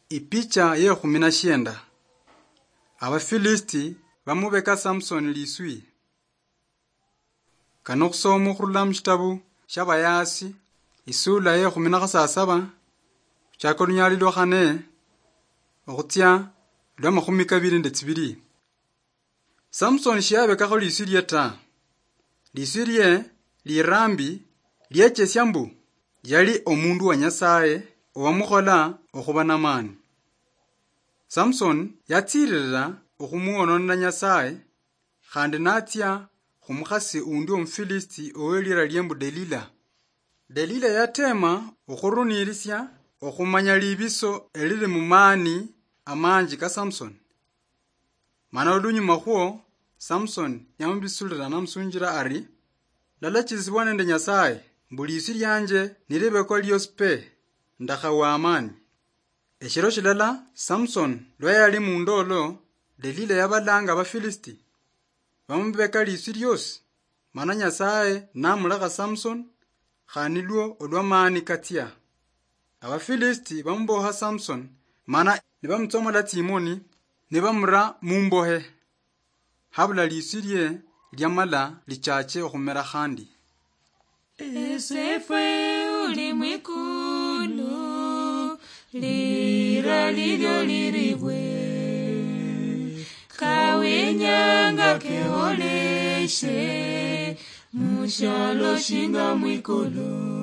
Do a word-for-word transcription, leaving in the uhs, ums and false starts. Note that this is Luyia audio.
Ipicha ye khumi na shienda. Abafilisiti bamubeka Samsoni liswi. Kano khusoma khurula mushitabu shia Bayasi, isula ye khumi na khasasaba, khuchaka olunyali lwa khane, okhutsia lwa makhumi kabili nde tsibili. Samsoni shiyabekakho liswi lie ta. Liswi lie lirambi liechesia mbu yali omundu wa Nyasaye owamukhola okhuba namani. Samsoni yatsiririra okhumwononera Nyasaye, khandi natsia khumukhasi undi Omufilisiti owelira liembu Delila. Delila yatema okhurunirisia okhumanya libiso elili mumaani amanji ka Samsoni. Mana olunyuma khwo, Samsoni yamubisulira namusunjira ari, "Ndalachisibwa nende Nyasaye, mbu liswi lianje nilibekwa liosi pe, ndakhawa amani." Eshiro shilala, Samsoni lwa yali mundolo, Delila yabalanga Abafilisiti, bamubeka liswi liosi, mana Nyasaye namulekha Samsoni, khandi nilwo olwa maani katsia. Abafilisiti bamuboha Samsoni, mana nibamutsomola tsimoni, nibamura mumbohe. Habula liswi lie liamala lichache okhumera khandi. Esefwe uli mwikulu, lira lilio liribwe, kawinyanga keholeshe, mushialo shinga mwikulu.